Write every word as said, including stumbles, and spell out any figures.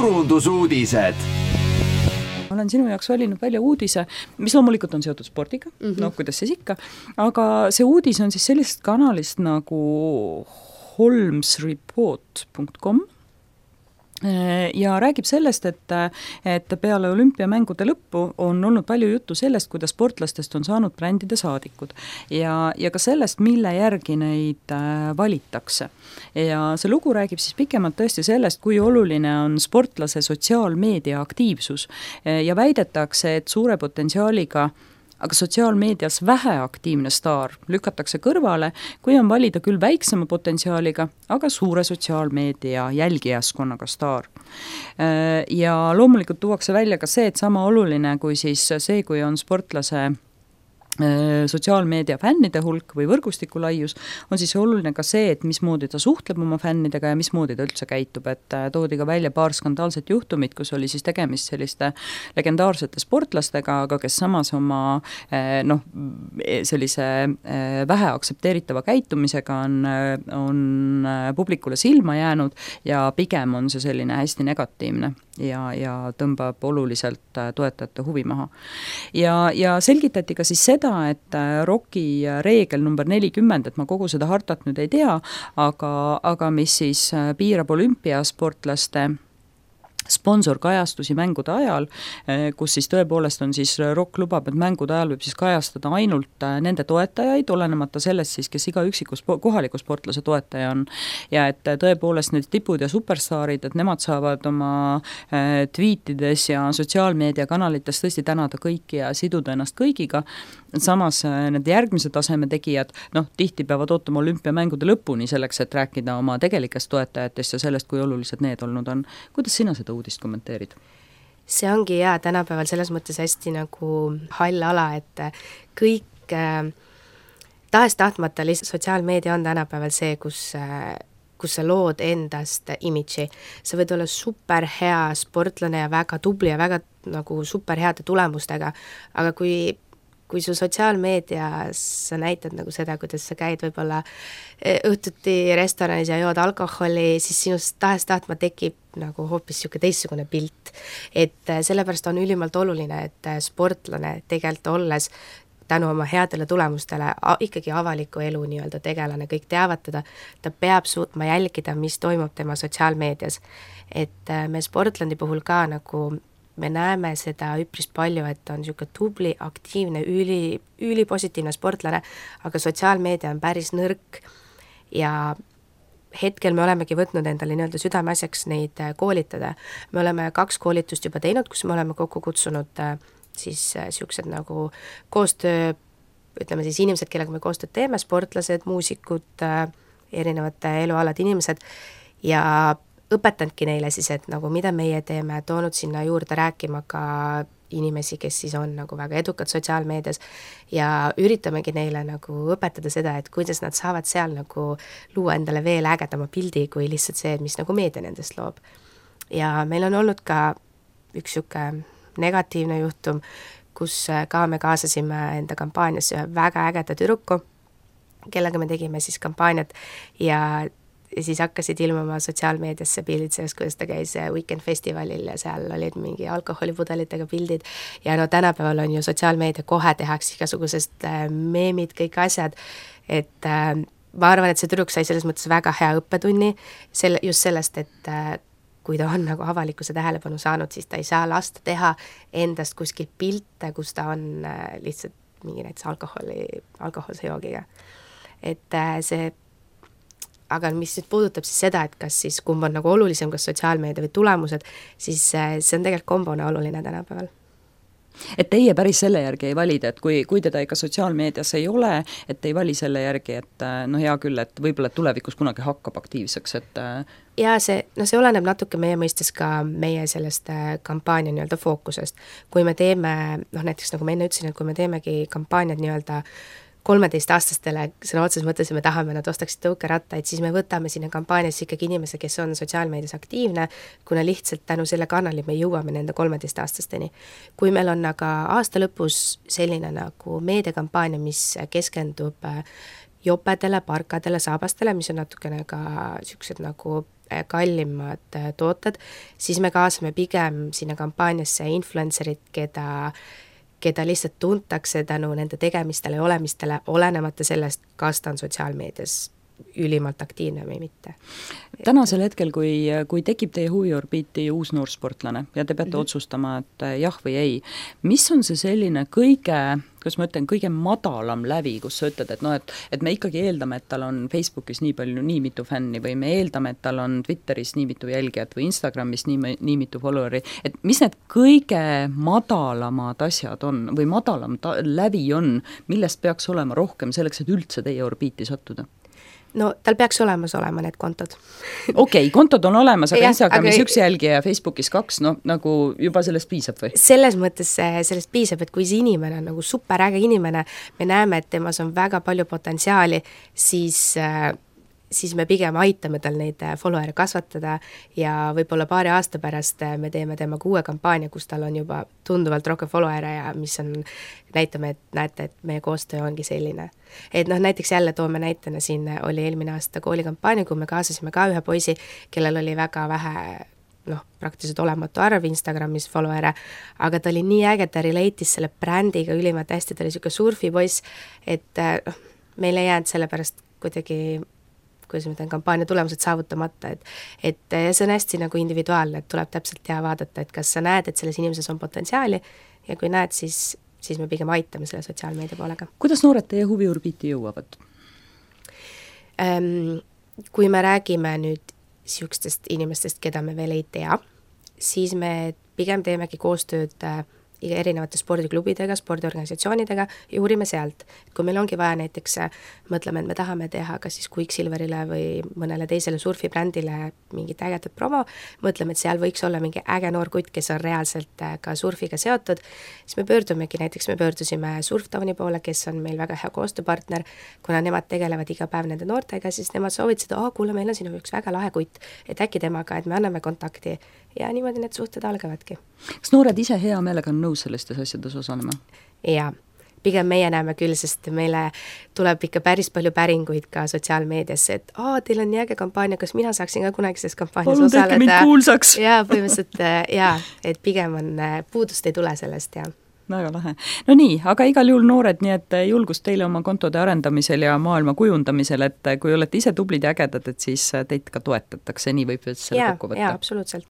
turundusuudised. Ma olen sinu jaoks valinud välja uudise, mis loomulikult on seotud spordiga, mm -hmm. no kuidas siis ikka, aga see uudis on siis sellisest kanalist nagu holmesreport punkt com ja räägib sellest, et, et peale olümpiamängude lõppu on olnud palju juttu sellest, kuidas sportlastest on saanud brändide saadikud ja, ja ka sellest, mille järgi neid valitakse. Ja see lugu räägib siis pikemalt tõesti sellest, kui oluline on sportlase sotsiaalmeedia aktiivsus ja väidetakse, et suure potentsiaaliga aga sotsiaalmeedias väheaktiivne staar lükatakse kõrvale, kui on valida küll väiksema potentsiaaliga, aga suure sotsiaalmeedia jälgijaskonnaga staar. Ja loomulikult tuuakse välja ka see, et sama oluline kui siis see, kui on sportlase sotsiaalmeedia fännide hulk või võrgustiku laius, on siis oluline ka see, et mismoodi ta suhtleb oma fännidega ja mismoodi ta üldse käitub, et toodi ka välja paar skandaalset juhtumit, kus oli siis tegemist selliste legendaarsete sportlastega, aga kes samas oma noh, sellise vähe aktsepteeritava käitumisega on, on publikule silma jäänud ja pigem on see selline hästi negatiivne ja, ja tõmbab oluliselt toetajate huvi maha. Ja, ja selgitati ka siis seda, et ROK-i reegel number nelikümmend, et ma kogu seda hartat nüüd ei tea, aga, aga mis siis piirab olümpiasportlaste sponsorkajastusi mängude ajal, kus siis tõepoolest on siis ROK lubab, et mängude ajal võib siis kajastada ainult nende toetajaid, olenemata sellest siis, kes iga üksiku spo- kohaliku sportlase toetaja on. Ja et tõepoolest need tipud ja superstaarid, et nemad saavad oma tweetides ja sotsiaalmeediakanalites tõesti tänada kõiki ja siduda ennast kõigiga. Samas need järgmise taseme tegijad, noh, tihti peavad ootama olümpiamängude lõpuni selleks, et rääkida oma tegelikest toetajatest ja sellest, kui olulised need olnud on. Kuidas sina seda uudist kommenteerid? See ongi jaa, tänapäeval selles mõttes hästi nagu hall ala, et kõik äh, tahes tahtmata lihtsalt sotsiaalmeedia on tänapäeval see, kus äh, kus sa lood endast imidži. Sa võid olla super hea sportlane ja väga tubli ja väga nagu super heade tulemustega, aga kui kui su sotsiaalmeedias sa näitad nagu seda, kuidas sa käid võib-olla õhtuti restoranis ja jood alkoholi, siis sinust tahes tahtma tekib nagu hoopis siuke teistsugune pilt. Et sellepärast on ülimalt oluline, et sportlane tegelikult olles tänu oma headele tulemustele ikkagi avaliku elu nii-öelda tegelane, kõik teavad teda, ta peab suutma jälgida, mis toimub tema sotsiaalmeedias. Et me sportlandi puhul ka nagu me näeme seda üpris palju, et on siuke tubli, aktiivne, üli, üli positiivne sportlane, aga sotsiaalmeedia on päris nõrk ja hetkel me olemegi võtnud endale nii-öelda südameasjaks neid koolitada. Me oleme kaks koolitust juba teinud, kus me oleme kokku kutsunud siis siuksed nagu koostöö, ütleme siis inimesed, kellega me koostööd teeme, sportlased, muusikud, erinevate elualad inimesed ja õpetanudki neile siis, et nagu mida meie teeme, toonud sinna juurde rääkima ka inimesi, kes siis on nagu väga edukad sotsiaalmeedias ja üritamegi neile nagu õpetada seda, et kuidas nad saavad seal nagu luua endale veel ägedama pildi, kui lihtsalt see, mis nagu meedia nendest loob. Ja meil on olnud ka üks siuke negatiivne juhtum, kus ka me kaasasime enda kampaaniasse ühe väga ägeda tüdruku, kellega me tegime siis kampaaniat ja ja siis hakkasid ilmuma sotsiaalmeediasse pildid sellest, kuidas ta käis Weekend festivalil ja seal olid mingi alkoholipudelitega pildid ja no tänapäeval on ju sotsiaalmeedia kohe tehakse igasugusest meemid, kõik asjad, et äh, ma arvan, et see tüdruk sai selles mõttes väga hea õppetunni selle, just sellest, et äh, kui ta on nagu avalikkuse tähelepanu saanud, siis ta ei saa lasta teha endast kuskil pilte, kus ta on äh, lihtsalt mingi näiteks alkoholi, alkoholse joogiga. Et äh, see aga mis nüüd puudutab siis seda, et kas siis kumb on nagu olulisem, kas sotsiaalmeedia või tulemused, siis see on tegelikult kombona oluline tänapäeval. Et teie päris selle järgi ei valida, et kui, kui teda ikka sotsiaalmeedias ei ole, et ei vali selle järgi, et no hea küll, et võib-olla tulevikus kunagi hakkab aktiivseks, et ja see, no see oleneb natuke meie mõistes ka meie sellest kampaania nii-öelda fookusest. Kui me teeme, noh näiteks nagu ma enne ütlesin, et kui me teemegi kampaaniad nii-öelda kolmeteistaastastele, sõna otses mõttes, me tahame nad ostaksid tõukerattaid, siis me võtame sinna kampaaniasse ikkagi inimese, kes on sotsiaalmeedias aktiivne, kuna lihtsalt tänu selle kanali me jõuame nende kolmeteistaastasteni. Kui meil on aga aasta lõpus selline nagu meediakampaania, mis keskendub jopedele, parkadele, saabastele, mis on natukene ka siuksed nagu kallimad tooted, siis me kaasame pigem sinna kampaaniasse influencerid, keda keda lihtsalt tuntakse tänu nende tegemistele ja olemistele, olenemata sellest, kas ta on sotsiaalmeedias ülimalt aktiivne või mitte. Tänasel hetkel, kui, kui tekib teie huviorbiiti uus noorsportlane ja te peate mm -hmm. otsustama, et jah või ei, mis on see selline kõige, kuidas ma ütlen, kõige madalam lävi, kus sa ütled, et noh, et, et me ikkagi eeldame, et tal on Facebookis nii palju, nii mitu fänni või me eeldame, et tal on Twitteris nii mitu jälgijat või Instagramis nii, nii mitu followeri, et mis need kõige madalamad asjad on või madalam ta, lävi on, millest peaks olema rohkem selleks, et üldse teie orbiiti sattuda? No tal peaks olemas olema need kontod. Okei, okay, kontod on olemas, aga ja, Instagramis aga... üks jälgija ja Facebookis kaks, no nagu juba sellest piisab või? Selles mõttes sellest piisab, et kui see inimene on nagu superäge inimene, me näeme, et temas on väga palju potentsiaali, siis siis me pigem aitame tal neid follower'e kasvatada ja võib-olla paari aasta pärast me teeme temaga uue kampaania, kus tal on juba tunduvalt rohkem follower'e ja mis on, näitame, et näete, et meie koostöö ongi selline. Et noh, näiteks jälle toome näitena siin oli eelmine aasta koolikampaania, kui me kaasasime ka ühe poisi, kellel oli väga vähe noh, praktiliselt olematu arv Instagramis follower'e, aga ta oli nii äge, ta relate'is selle brändiga ülimalt hästi, ta oli siuke surfipoiss, et noh, meil ei jäänud sellepärast kuidagi kuidas ma ütlen, kampaania tulemused saavutamata, et, et see on hästi nagu individuaalne, et tuleb täpselt teha vaadata, et kas sa näed, et selles inimeses on potentsiaali ja kui näed, siis, siis me pigem aitame selle sotsiaalmeedia poolega. Kuidas noored teie huviorbiiti jõuavad? Ähm, kui me räägime nüüd siukestest inimestest, keda me veel ei tea, siis me pigem teemegi koostööd erinevate spordiklubidega, spordiorganisatsioonidega ja uurime sealt. Kui meil ongi vaja näiteks, mõtleme, et me tahame teha kas siis Quicksilverile või mõnele teisele surfibrändile mingit ägedat promo, mõtleme, et seal võiks olla mingi äge noor kutt, kes on reaalselt ka surfiga seotud, siis me pöördumegi, näiteks me pöördusime Surftowni poole, kes on meil väga hea koostööpartner, kuna nemad tegelevad iga päev nende noortega, siis nemad soovitasid, aa, kuule, meil on siin üks väga lahe kutt, et äkki temaga, et me anname kontakti ja niimoodi need suhted algavadki. Kas noored ise hea meelega on nõus sellistes asjades osalema? Jaa, pigem meie näeme küll, sest meile tuleb ikka päris palju päringuid ka sotsiaalmeediasse, et aa, teil on nii äge kampaania, kas mina saaksin ka kunagises kampaanias Palun osaleda? Palun tehke mind kuulsaks! Jaa, põhimõtteliselt jaa, et pigem on, puudust ei tule sellest, jaa. Väga lahe. No nii, aga igal juhul noored, nii et julgust teile oma kontode arendamisel ja maailma kujundamisel, et kui olete ise tublid ja ägedad, et siis teid ka toetatakse, nii võib selle kokku võtta. Jaa, absoluutselt.